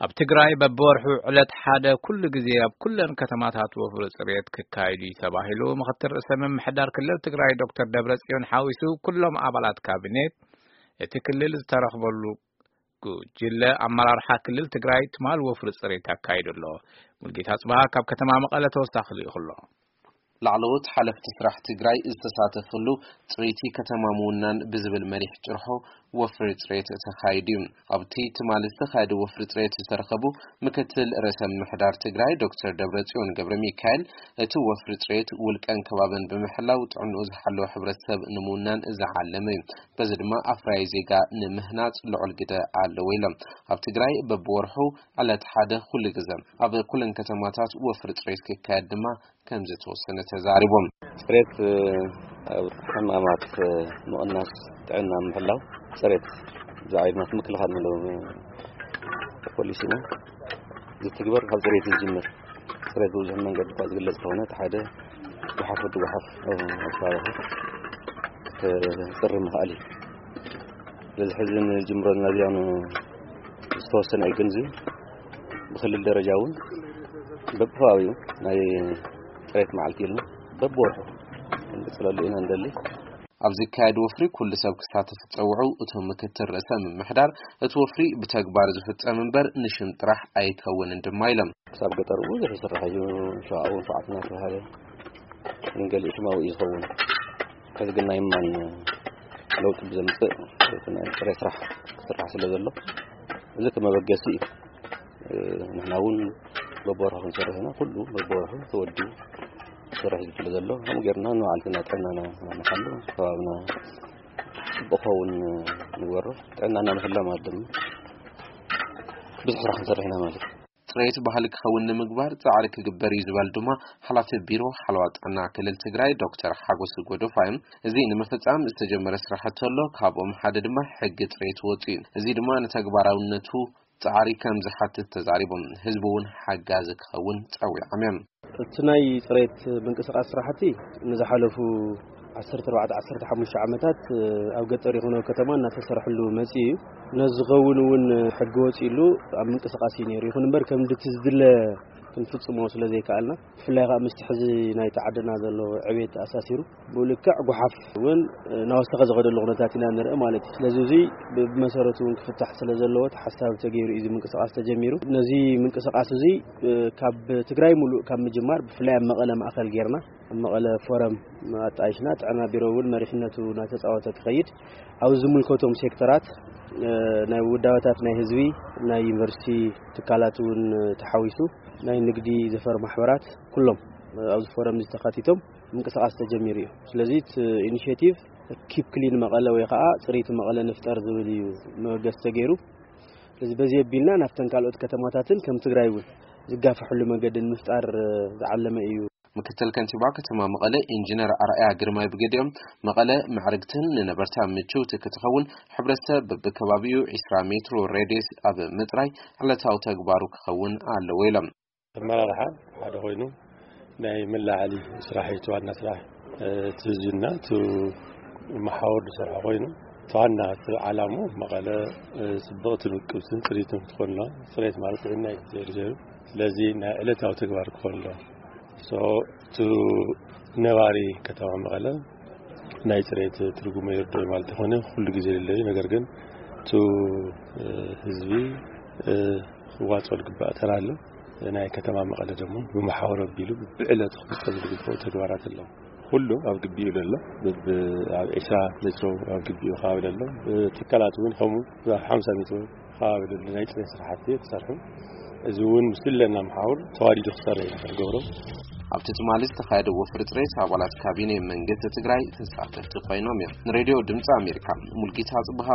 ኣብ ትግራይ በብወርሑ ዕለት ሓደ ኩሉ ግዜ ኣብ ኩለን ከተማታት ወፍሪ ጽሬት ክካየድ እዩ ተባሂሉ። ምኽትል ርእሰ ምምሕዳር ክልል ትግራይ ዶክተር ደብረጽዮን ሓዊሱ ኩሎም ኣባላት ካቢኔት እቲ ክልል ዝተረኽበሉ ጉጅለ ኣመራርሓ ክልል ትግራይ ትማል ወፍሪ ጽሬት ኣካይዱ ኣሎ። ሙልጌታ ጽባሃ ካብ ከተማ መቐለ ተወሳኺ ልኢኹ ኣሎ። ላዕለዎት ሓለፍቲ ስራሕ ትግራይ ዝተሳተፈሉ ጽሬቲ ከተማ ምውናን ብዝብል መሪሕ ጭርሖ ወፍሪ ጽሬት ተኻይዱ እዩ። ኣብቲ ትማሊ ዝተኻየደ ወፍሪ ጽሬት ዝተረኸቡ ምክትል ርእሰ ምምሕዳር ትግራይ ዶክተር ደብረጽዮን ገብረ ሚካኤል፣ እቲ ወፍሪ ጽሬት ውልቀን ከባብን ብምሕላው ጥዕንኡ ዝሓለወ ሕብረተሰብ ንምውናን ዝዓለመ እዩ። በዚ ድማ ኣፍራይ ዜጋ ንምህናጽ ልዑል ግደ ኣለዎ ኢሎም። ኣብ ትግራይ በብወርሑ ዕለት ሓደ ኩሉ ግዘ ኣብ ኩለን ከተማታት ወፍሪ ጽሬት ክካየድ ድማ ከም ዝተወሰነ ተዛሪቦም። ጽሬት ኣብ ሕማማት ምቕናስ፣ ጥዕና ምሕላው፣ ጽሬት ዝዓይድማት ምክልኻል ንለው ፖሊሲና ዝትግበር ካብ ጽሬት ዝጅምር። ጽሬት ብብዙሕ መንገዲ እኳ ዝግለጽ ተኾነ፣ እቲ ሓደ ጉሓፍ ወዲ ጉሓፍ ኣብ ከባቢኻ ክጽሪ ምኽኣል እዩ። ስለዚ ሕዚ ንጅምሮ ዘለና እዚኣ ዝተወሰነ እዩ፣ ግን እዚ ብክልል ደረጃ እውን በብከባቢኡ ናይ ጽሬት መዓልቲ ኢልና በብወርሑ ክንቅጽለሉ ኢና ንደሊ። ኣብ ዝካየድ ወፍሪ ኩሉ ሰብ ክሳተፍ ዝጸውዑ እቶም ምክትል ርእሰ ምምሕዳር፣ እቲ ወፍሪ ብተግባር ዝፍጸም እምበር ንሽም ጥራሕ ኣይከውንን ድማ ኢሎም። ክሳብ ገጠር ብዙሕ ይስራሕ እዩ። ሸውዓውን ሸውዓትን እናተባሃለ ንገሊኡ ሽማዊ እዩ ዝኸውን። ሕዚ ግን ናይ ማን ለውጢ ብዘምፅእ እቲ ናይ ጥሬ ስራሕ ክስራሕ ስለ ዘሎ፣ እዚ ከመበገሲ እዩ። ንሕና እውን በብወርሑ ክንሰርሕ ኢና። ኩሉ በብወርሑ ተወዲቡ ክሰርሕ እዩ ስለ ዘሎ፣ ከምኡ ጌርና ንባዕልትና ጥዕናና ንሓሉ፣ ከባብና ጽቡቕ ክኸውን ንግበሮ። ጥዕናና ምሕላው ማለት ድማ ብዙሕ ስራሕ ክንሰርሕ ኢና ማለት እዩ። ጽሬት ባህሊ ክኸውን ንምግባር ጻዕሪ ክግበር እዩ ዝበል ድማ ሓላፊ ቢሮ ሓለዋ ጥዕና ክልል ትግራይ ዶክተር ሓጎስ ጎዶፋዮም፣ እዚ ንምፍጻም ዝተጀመረ ስራሕቲ ኣሎ። ካብኦም ሓደ ድማ ሕጊ ጽሬት ወጺኡ እዩ። እዚ ድማ ንተግባራውነቱ ጻዕሪ ከም ዝሓትት ተዛሪቦም። ህዝቢ እውን ሓጋዚ ክኸውን ጸዊዖም እዮም። እቲ ናይ ጽሬት ምንቅስቃስ ስራሕቲ ንዝሓለፉ ዓሰርተ ኣርባዕተ ዓሰርተ ሓሙሽተ ዓመታት ኣብ ገጠር ይኹን ኣብ ከተማ እናተሰርሐሉ መጺኡ እዩ። ነዚ ዝኸውን እውን ሕጊ ወጺእሉ ኣብ ምንቅስቃስ እዩ ነይሩ። ይኹን እምበር ከም ድቲ ዝድለ ክንፍጽሞ ስለ ዘይከኣልና፣ ብፍላይ ከዓ ምስቲ ሕዚ ናይቲ ዓድና ዘሎ ዕቤት ኣሳሲሩ፣ ብልክዕ ጓሓፍ እውን እናወሰኸ ዝኸደሉ ኩነታት ኢና ንርኢ ማለት እዩ። ስለዚ እዚ ብመሰረቱ እውን ክፍታሕ ስለ ዘለዎ፣ እቲ ሓሳብ ተገይሩ እዩ እዚ ምንቅስቃስ ተጀሚሩ። ነዚ ምንቅስቃስ እዚ ካብ ትግራይ ሙሉእ ካብ ምጅማር፣ ብፍላይ ኣብ መቐለ ማእከል ጌርና፣ ኣብ መቐለ ፎረም ኣጣይሽና፣ ጥዕና ቢሮ እውን መሪሕነቱ እናተፃወተ ክኸይድ፣ ኣብ ዝምልከቶም ሴክተራት፣ እ፣ ናይ ውዳበታት ናይ ህዝቢ፣ ናይ ዩኒቨርሲቲ ትካላት እውን ተሓዊሱ፣ ናይ ንግዲ ዘፈር ማሕበራት ኩሎም፣ እ፣ ኣብዚ ፎረም እዚ ተኻቲቶም ምንቅስቃስ ተጀሚሩ እዩ። ስለዚ እቲ ኢኒሼቲቭ ኪፕ ክሊን መቐለ ወይ ከዓ ጽሬት መቐለ ንፍጠር ዝብል እዩ መበገሲ ተገይሩ። ስለዚ በዚ ኣቢልና ናብተን ካልኦት ከተማታትን ከም ትግራይ እውን ዝጋፈሐሉ መገዲ ንምፍጣር፣ እ፣ ዝዓለመ እዩ። ምክትል ከንቲባ ከተማ መቐለ ኢንጂነር ኣርኣያ ግርማይ ብገዲኦም፣ መቐለ ምዕርግትን ንነበርታ ምችውቲ ክትኸውን፣ ሕብረተሰብ በብከባቢኡ ዒስራ ሜትሮ ሬድየስ ኣብ ምጽራይ ዕለታዊ ተግባሩ ክኸውን ኣለዎ ኢሎም። ኣመራርሓ ሓደ ኮይኑ ናይ መላዓሊ ስራሕ እዩ፣ እቲ ዋና ስራሕ፣ እ፣ እቲ ህዝብና እቲ መሓውር ዝሰርሖ ኮይኑ፣ እቲ ዋና እቲ ዓላሙ መቐለ፣ እ፣ ጽብቕትን ውቅብትን ጽሪትን ክትኮን ኣለዋ። ጽሬት ማለት ጥዕና እዩ፣ ዘይሩ ዘይሩ። ስለዚ ናይ ዕለታዊ ተግባር ክኾን ኣለዎ። ሶ፣ እቲ ነባሪ ከተማ መቐለ ናይ ጽሬት ትርጉሙ ይርድኦ ማለት ይኾነ ኩሉ ግዜ የለዩ። ነገር ግን እቲ፣ እ፣ ህዝቢ፣ እ፣ ክዋጽኦ ዝግባእ ተራ ኣሎ። ናይ ከተማ መቐለ ደግሞ ብመሓውር ኣቢሉ ብዕለቱ ክፍጸም ዝግብኦ ተግባራት ኣሎ። ኩሉ ኣብ ግቢኡ ዘሎ፣ ብብ-፣ ኣብ ዒስራ ሜትሮ ኣብ ግቢኡ ከባቢ ዘሎ፣ ትካላት እውን ከምኡ ኣብ ሓምሳ ሜትሮ ከባቢ ዘሎ ናይ ጽሬት ስራሕቲ ተሰርሑ። እዚ እውን ምስ ለና መሓውር ተዋዲዱ ክሰርሕ ኢና ንገብሮ። ኣብቲ ትማሊ ዝተኻየደ ወፍሪ ጽሬት ኣባላት ካቢኔ መንግስቲ ትግራይ ተሳተፍቲ ኮይኖም እዮም። ንሬድዮ ድምፂ ኣሜሪካ ሙልጌታ ጽብሃ።